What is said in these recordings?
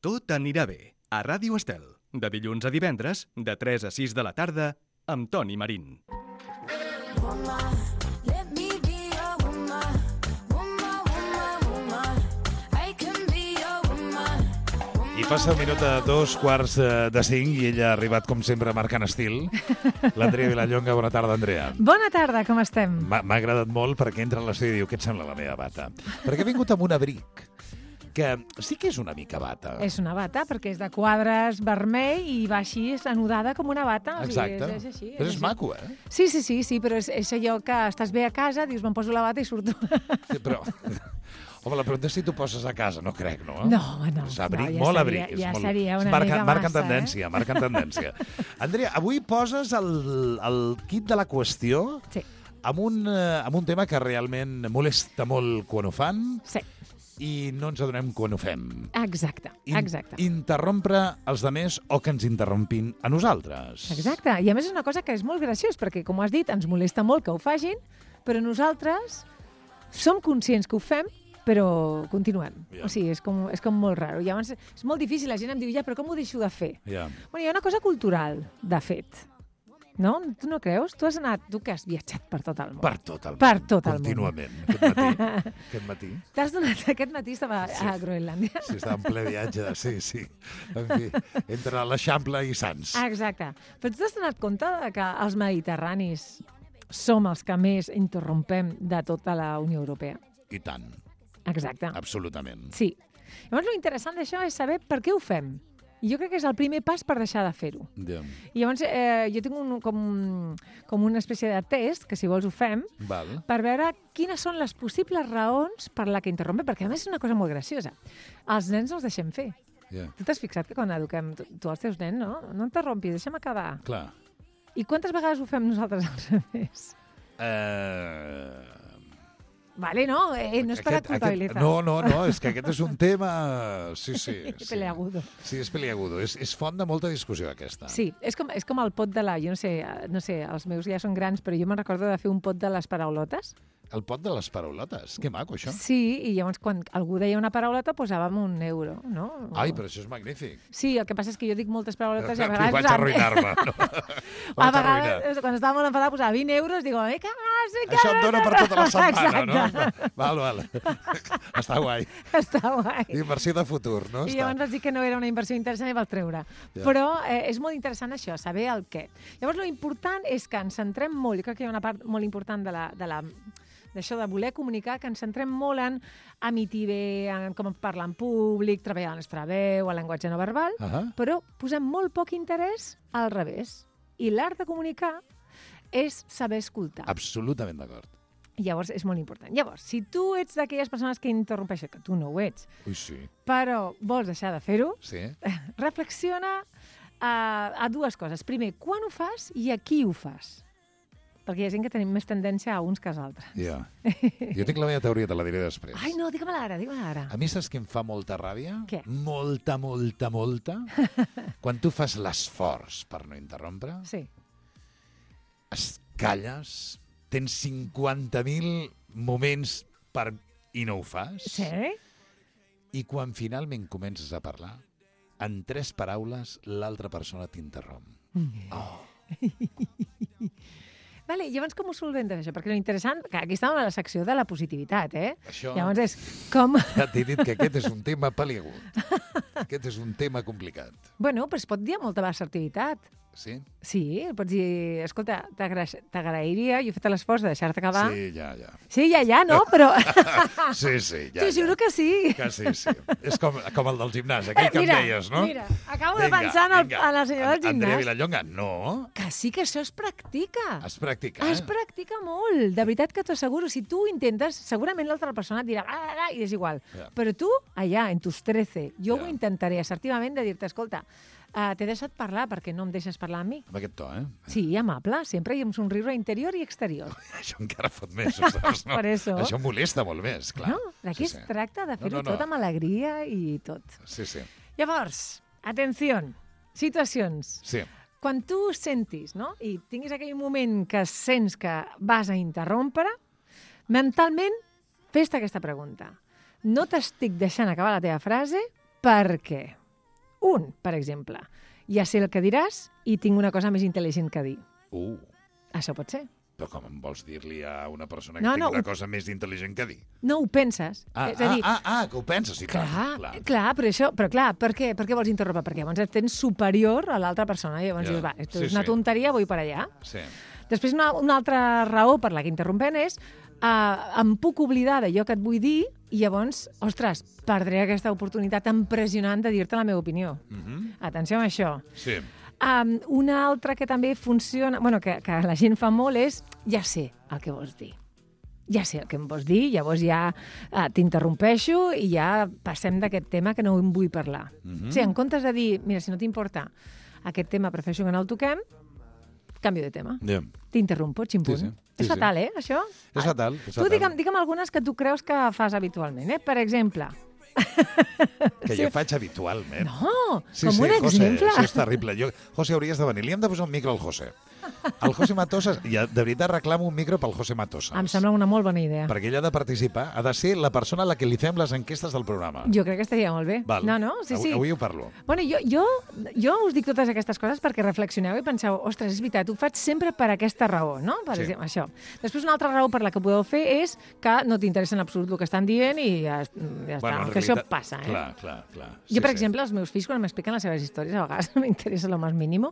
Tot anirà bé, a Ràdio Estel, de dilluns a divendres, de 3 a 6 de la tarda, amb Toni Marín. I passa el minut a 4:45 i ella ha arribat, com sempre, marcant estil. L'Andrea Vilallonga, bona tarda, Andrea. Bona tarda, com estem? M'ha agradat molt perquè entra a l'estudi i diu, què et sembla la meva bata? Perquè he vingut amb un abric, que sí que és una mica bata. És una bata, perquè és de quadres vermell i va així, és anudada com una bata. Exacte. O sigui, és així. Però és maco, eh? Sí, però és allò que estàs bé a casa, dius, me'n poso la bata i surto. Sí, però... Home, la pregunta és si tu poses a casa, no crec, no? No. És abric, ja molt seria, abric. Ja molt... seria una marca, mica marca massa, tendència, marca tendència. Andrea, avui poses el kit de la qüestió Sí. amb un tema que realment molesta molt quan ho fan Sí, i no ens adonem quan ho fem. exacte. Interrompre els demés o que ens interrompin a nosaltres. Exacte. I a més és una cosa que és molt graciós, perquè, com has dit, ens molesta molt que ho facin, però nosaltres som conscients que ho fem, però continuem. Ja. O sigui, és com molt raro. Llavors, és molt difícil, la gent em diu, ja, però com ho deixo de fer? Ja. Bueno, hi ha una cosa cultural, de fet. No? Tu no creus? Tu que has viatjat per tot el món. Per tot el món. Per tot el món. Contínuament. Aquest matí. T'has donat, aquest matí estava a Groenlàndia. Sí, estava en ple viatge, sí. En fi, entre l'Eixample i Sants. Exacte. Però tu t'has donat compte que els mediterranis som els que més interrompem de tota la Unió Europea? I tant. Exacte. Absolutament. Sí. Llavors, lo interessant d'això és saber per què ho fem. I jo crec que és el primer pas per deixar de fer-ho. Ja. I llavors, jo tinc com una espècie de test, que si vols ho fem, Val. per veure quines són les possibles raons per la que interrompem, perquè a més és una cosa molt graciosa. Els nens no els deixem fer. Ja. Tu t'has fixat que quan eduquem tu els teus nens, no? No interrompis, deixa'm acabar. Clar. I quantes vegades ho fem nosaltres al revés? Vale, no? No és per culpabilitzar. No, és que aquest és un tema... Sí. Peleagudo. Sí, és peleagudo. És font de molta discussió, aquesta. Sí, és com el pot de la... Jo no sé, els meus ja són grans, però jo me'n recordo de fer un pot de les paraulotes. El pot de les paraulotes. Que maco, això. Sí, i llavors quan algú deia una paraulota posàvem €1, no? Ai, però això és magnífic. Sí, el que passa és que jo dic moltes paraulotes i a Aquí vegades... vaig arruïnar-me. No? A vegades, quan estava molt enfadada, posava €20, digo, Això em dona per tota la setmana, no? Val. Està guai. Està guai. Inversió de futur, no? I llavors vaig dir que no era una inversió interessant i vaig treure. Ja. Però és molt interessant això, saber el què. Llavors, lo important és que ens centrem molt, jo crec que hi ha una part molt important d'això de voler comunicar, que ens centrem molt en emitir bé, en com parlar en públic, treballar la nostra veu, el llenguatge no verbal, però posem molt poc interès al revés. I l'art de comunicar és saber escoltar. Absolutament d'acord. Llavors, és molt important. Llavors, si tu ets d'aquelles persones que interrompeixen, que tu no ho ets, Ui, sí. però vols deixar de fer-ho, Sí? reflexiona a dues coses. Primer, quan ho fas i a qui ho fas? Perquè hi ha gent que tenim més tendència a uns que als altres. Ja. Jo tinc la meva teoria, te la diré després. Ai, no, digue-me-la ara. A mi saps què em fa molta ràbia? Què? Molta. Quan tu fas l'esforç per no interrompre, Sí. es calles, tens 50.000 moments i no ho fas, Sí? i quan finalment comences a parlar, en 3 paraules l'altra persona t'interromp. Vale, llavors com ho solventes, això? Perquè l'interessant, que aquí estàvem a la secció de la positivitat, Això... Llavors és com... Ja t'he dit que aquest és un tema peliagut. Aquest és un tema complicat. Bueno, però es pot dir amb molta assertivitat. Sí? Sí, pots dir, escolta, t'agrairia, jo he fet l'esforç de deixar-te acabar. Sí, ja. Sí, ja, no, però... Sí, ja. T'ho juro que sí. Que sí. És com el del gimnàs, aquell que em deies, no? Mira, acabo de pensar en la senyora del gimnàs. Andrea Vilallonga, no. Que sí que això es practica. Es practica, Es practica molt. De veritat que t'ho asseguro. Si tu ho intentes, segurament l'altra persona et dirà i és igual. Ja. Però tu, allà, en tus 13, jo Ja. ho intentaré assertivament de dir-te, escolta, t'he deixat parlar perquè no em deixes parlar amb mi. Amb aquest to, Sí, amable, sempre i amb somriure interior i exterior. Això encara fot més, ho saps, no? Per això. Això molesta molt més, clar. No? D'aquí es tracta de fer-ho No. tot amb alegria i tot. Sí. Llavors, atenció, situacions. Sí. Quan tu sentis, no?, i tinguis aquell moment que sents que vas a interrompre, mentalment fes-te aquesta pregunta. No t'estic deixant acabar la teva frase, per què? Un, per exemple, ja sé el que diràs i tinc una cosa més intel·ligent que dir. Això pot ser. Però com em vols dir-li a una persona que No, tingui no, una cosa més intel·ligent que dir? No ho penses. És a dir, Que ho penses, sí, clar. clar, però clar, per què vols interrompre? Perquè llavors et tens superior a l'altra persona. I llavors dius, va, esto és una tonteria, vull per allà. Sí. Després, una altra raó per la que interrompent és em puc oblidar d'allò que et vull dir i llavors, ostres, perdré aquesta oportunitat impressionant de dir-te la meva opinió. Atenció amb això. Sí. Una altra que també funciona, que la gent fa molt és, ja sé el que vols dir. Ja sé el que em vols dir, llavors ja t'interrompeixo i ja passem d'aquest tema que no en vull parlar. O sigui, en comptes de dir, mira, si no t'importa aquest tema, prefereixo que no el toquem, canvio de tema. T'interrompo, ximpunt. És fatal, això? És fatal. Tu digue'm algunes que tu creus que fas habitualment. Per exemple... Que jo faig habitualment. No, com un exemple. Això és terrible. José, hauries de venir. Li hem de posar un micro al José. El José Matosa, de veritat reclamo un micro pel José Matosa. Em sembla una molt bona idea. Perquè ell ha de participar, ha de ser la persona a la que li fem les enquestes del programa. Jo crec que estaria molt bé. Val. No? Sí. Avui ho parlo. Bueno, jo us dic totes aquestes coses perquè reflexioneu i penseu, ostres, és veritat, ho faig sempre per aquesta raó, no? Per exemple, això. Després, una altra raó per la que podeu fer és que no t'interessa en absolut el que estan dient i ja està. Que això passa, Clar. Jo, per exemple, els meus fills, quan m'expliquen les seves històries, a vegades no m'interessa lo més mínim,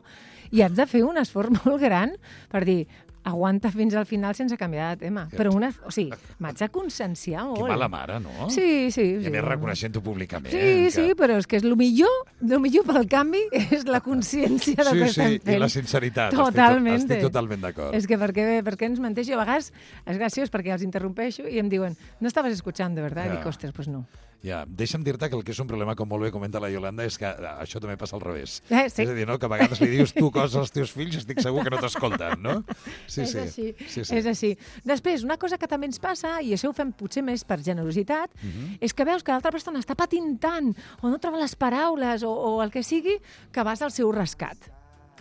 i haig de fer un esforç molt gran per dir, aguanta fins al final sense canviar de tema. Però m'haig de conscienciar molt. Que mala mare, no? Sí. I a més reconeixent-ho públicament. Sí, però és que és el millor pel canvi és la consciència del que estem fent. I la sinceritat. Totalment. Estic totalment d'acord. És que per què ens menteix? Jo a vegades és graciós perquè els interrompeixo i em diuen, no estaves escuchant, de verdad? I dic, ostres, pues no. Ja, deixa'm dir-te que el que és un problema, com molt bé comenta la Iolanda, és que això també passa al revés. Sí. És a dir, no? Que a vegades li dius tu coses als teus fills i estic segur que no t'escolten, no? Sí. És així. Després, una cosa que també ens passa, i això ho fem potser més per generositat, és que veus que l'altra persona està patint tant, o no troba les paraules, o el que sigui, que vas al seu rescat.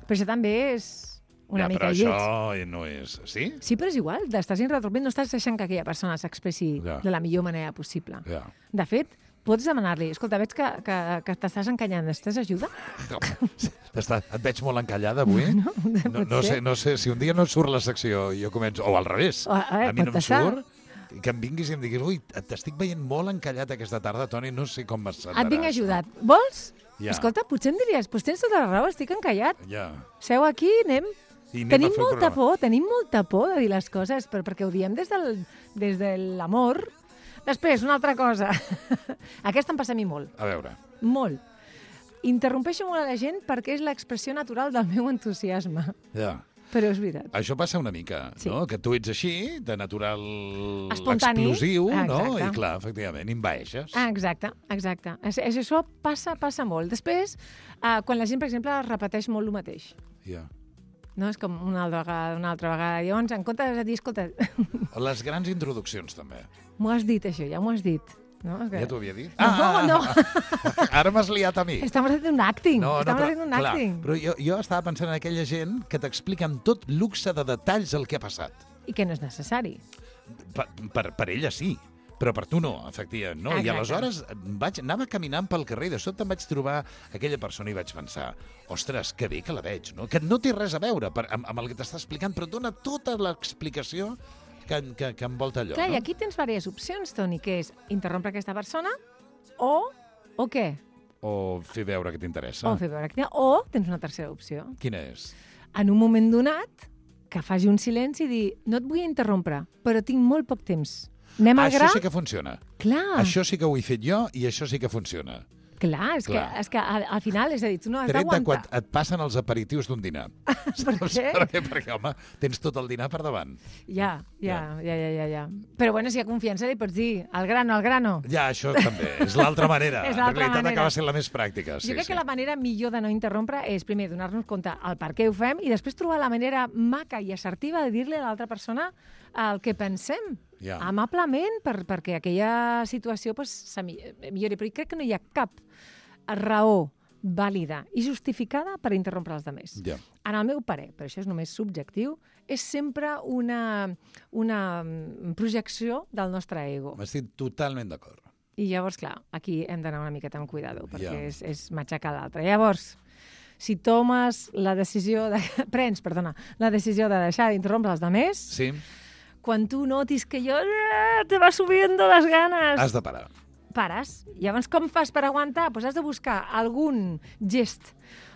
Però això també és... una mica lleig. Però això no és... Sí? Sí, però és igual. Estàs interrompent, no estàs deixant que aquella persona s'expressi de la millor manera possible. De fet, pots demanar-li, escolta, veig que t'estàs encallant, necessites ajuda? Et veig molt encallada avui. No sé, si un dia no et surt la secció i jo començo... O al revés, a mi no em surt... Que em vinguis i em diguis, ui, t'estic veient molt encallat aquesta tarda, Toni, no sé com m'assentaràs. Et vinc ajudat. Vols? Ja. Escolta, potser em diries, doncs tens tota la raó, estic encallat. Ja. Seu aquí, anem... Tenim molta por de dir les coses, però perquè ho diem des de l'amor. Després, una altra cosa. Aquesta em passa a mi molt. A veure. Molt. Interrompeixo molt a la gent perquè és l'expressió natural del meu entusiasme. Ja. Però és veritat. Això passa una mica, no? Que tu ets així, de natural espontani, explosiu, no? I clar, efectivament, envaeixes. Exacte. Això passa molt. Després, quan la gent, per exemple, repeteix molt el mateix. Ja. No? És com una altra vegada. Llavors, en comptes de dir, escolta... Les grans introduccions, també. M'ho has dit, això, ja m'ho has dit. No? Ja t'ho havia dit? No. Ara m'has liat a mi. Estamos haciendo un acting. Però jo estava pensant en aquella gent que t'explica amb tot luxe de detalls el que ha passat. I que no és necessari. Per ella sí, però per tu no, efectivament. No? I aleshores anava caminant pel carrer i de sobte em vaig trobar aquella persona i vaig pensar, ostres, que bé que la veig, no? Que no té res a veure amb el que t'està explicant, però dona tota l'explicació que envolta allò. Clar, i aquí tens diverses opcions, Toni, que és interrompre aquesta persona o què? O fer veure que t'interessa. O tens una tercera opció. Quina és? En un moment donat, que faci un silenci i dir, no et vull interrompre, però tinc molt poc temps. Anem al gra? Això sí que funciona. Clar. Això sí que ho he fet jo i això sí que funciona. Clar, és que al final, és a dir, tu no has d'aguantar. Tret de quan et passen els aperitius d'un dinar. Per què? Perquè, home, tens tot el dinar per davant. Ja. Però, bueno, si hi ha confiança li pots dir al grano. Ja, això també. És l'altra manera. És en realitat acaba sent la més pràctica. Jo crec que la manera millor de no interrompre és, primer, donar-nos compte el per què ho fem i després trobar la manera maca i assertiva de dir-li a l'altra persona el que pensem. Amablement, perquè aquella situació millori. Però crec que no hi ha cap raó vàlida i justificada per interrompre els altres. En el meu parer, però això és només subjectiu, és sempre una projecció del nostre ego. M'estic totalment d'acord. I llavors, clar, aquí hem d'anar una miqueta amb cuidado, perquè Ja. és matxacar l'altre. Llavors, si prens la decisió de deixar d'interrompre els altres, Sí, quan tu notis que te va subiendo les ganes, has de parar. pares. Llavors, com fas per aguantar? Doncs has de buscar algun gest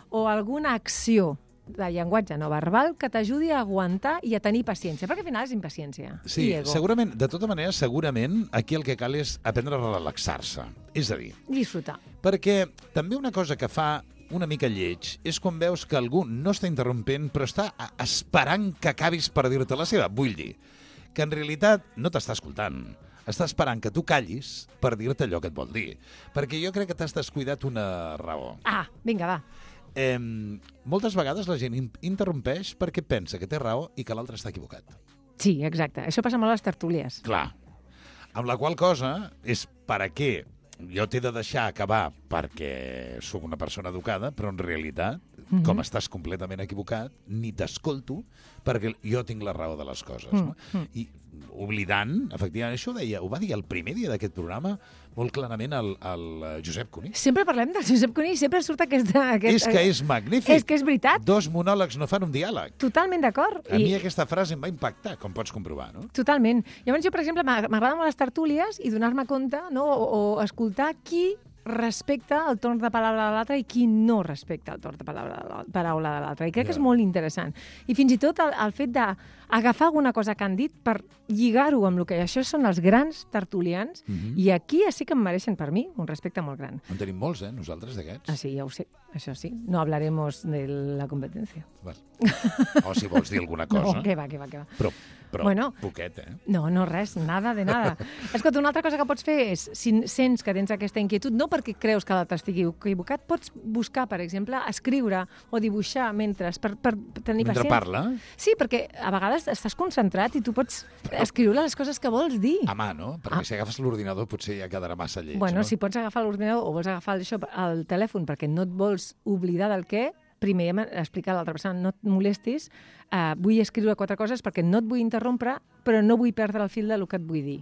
o alguna acció de llenguatge no verbal que t'ajudi a aguantar i a tenir paciència, perquè al final és impaciència Sí, i ego. segurament, de tota manera, segurament aquí el que cal és aprendre a relaxar-se. És a dir, Disfrutar. perquè també una cosa que fa una mica lleig és quan veus que algú no està interrompent però està esperant que acabis per dir-te la seva. Vull dir que en realitat no t'està escoltant. Està esperant que tu callis per dir-te allò que et vol dir. Perquè jo crec que t'has descuidat una raó. Vinga, va. Moltes vegades la gent interrompeix perquè pensa que té raó i que l'altre està equivocat. Sí, exacte. Això passa molt a les tertúlies. Clar. Amb la qual cosa és per a què jo t'he de deixar acabar perquè sóc una persona educada, però en realitat, com estàs completament equivocat, ni t'escolto perquè jo tinc la raó de les coses. No? I oblidant, efectivament, això ho va dir el primer dia d'aquest programa molt clarament el Josep Cuní. Sempre parlem del Josep Cuní i sempre surt aquest... És que és magnífic. És que és veritat. Dos monòlegs no fan un diàleg. Totalment d'acord. A mi aquesta frase em va impactar, com pots comprovar, no? Totalment. Llavors jo, per exemple, m'agrada molt les tertúlies i donar-me compte, no? o escoltar qui respecta el torn de paraula de l'altre i qui no respecta el torn de paraula de l'altre. I crec que és molt interessant. I fins i tot el fet d'agafar alguna cosa que han dit per lligar-ho amb el que això són els grans tertulians, i aquí sí que em mereixen, per mi, un respecte molt gran. En tenim molts, nosaltres, d'aquests. Sí, ja ho sé. Això sí. No hablaremos de la competència. O si vols dir alguna cosa. No, que va. Però bueno, poquet, No, res, nada de nada. Escolta, una altra cosa que pots fer és, si sents que tens aquesta inquietud, no perquè creus que l'altre estigui equivocat, pots buscar, per exemple, escriure o dibuixar mentre, per tenir Mentre paciència. parla? Sí, perquè a vegades estàs concentrat i tu pots escriure les coses que vols dir. A mà, no? Perquè si agafes l'ordinador potser ja quedarà massa lleig, Bueno, no? si pots agafar l'ordinador o vols agafar el telèfon perquè no et vols oblidar del què, primer explicar a l'altra persona, no et molestis, vull escriure 4 coses perquè no et vull interrompre, però no vull perdre el fil del que et vull dir.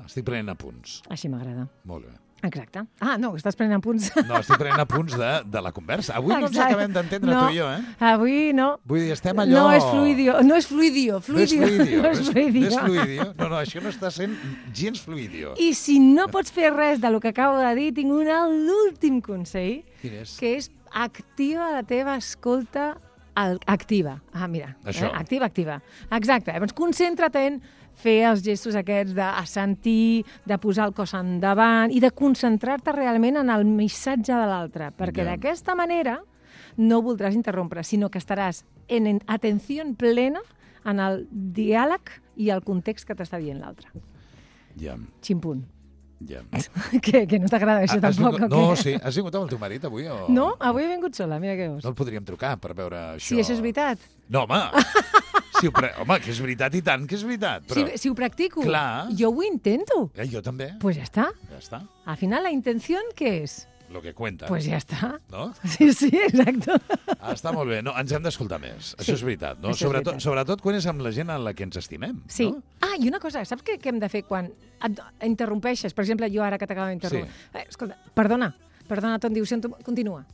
Estic prenent apunts. Així m'agrada. Molt bé. Exacte. No, estàs prenent apunts. No, estic prenent apunts de la conversa. Avui no ens acabem d'entendre tu i jo, Avui no. Vull dir, estem allò... No és fluidio. No, això no, això no està sent gens fluidio. I si no pots fer res del que acabo de dir, tinc l'últim consell, Quin és? que és activa la teva escolta activa. Mira, Això. Activa. Exacte. Llavors, concentra't en fer els gestos aquests de sentir, de posar el cos endavant i de concentrar-te realment en el missatge de l'altre, perquè d'aquesta manera no voldràs interrompre, sinó que estaràs en atenció plena en el diàleg i el context que t'està dient l'altre. Ja. Ximpunt. Ja. Que no t'agrada això tampoc? No, sí. Has vingut amb el teu marit avui? O... No, avui he vingut sola, mira què veus. No el podríem trucar per veure això. Sí, això és veritat. No, home! Home, que és veritat i tant que és veritat. Però... Si ho practico, Clar. Jo ho intento. Jo també. Pues ja està. Ja està. Al final, la intenció, què és? Lo que cuenta. Pues ja està. No? Sí, exacte. Està molt bé. No, ens hem d'escoltar més. Sí, Això és veritat. No? això és veritat. Sobretot quan és amb la gent a la que ens estimem. Sí. No? I una cosa, saps què hem de fer quan et interrompeixes? Per exemple, jo ara que t'acabo d'interrompre. Sí. Escolta, perdona, Ton, diu, continua.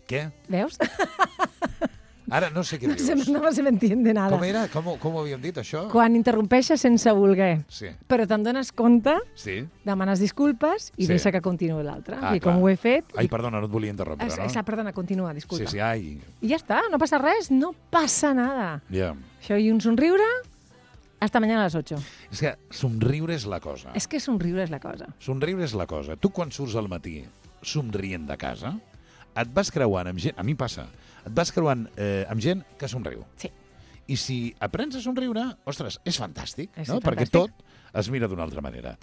Què? Veus? Ara no sé què dius. No se m'entiende nada. Com era? Com ho havíem dit, això? Quan interrompeixes sense voler, Sí. però te'n dones compte, Sí? demanes disculpes i Sí. deixa que continuï l'altre. I clar. com ho he fet... Ai, perdona, no et volia interrompre, no? Perdona, continua, disculpa. Sí, ai. I ja està, no passa res, no passa nada. Ja. Això i un somriure, hasta mañana a les 8. És que somriure és la cosa. És que somriure és la cosa. Somriure és la cosa. Tu quan surts al matí somrient de casa, et vas creuant amb gent... A mi passa. Et vas creuant amb gent que somriu. Sí. I si aprens a somriure, ostres, és fantàstic, És no? fantàstic. Perquè tot es mira d'una altra manera.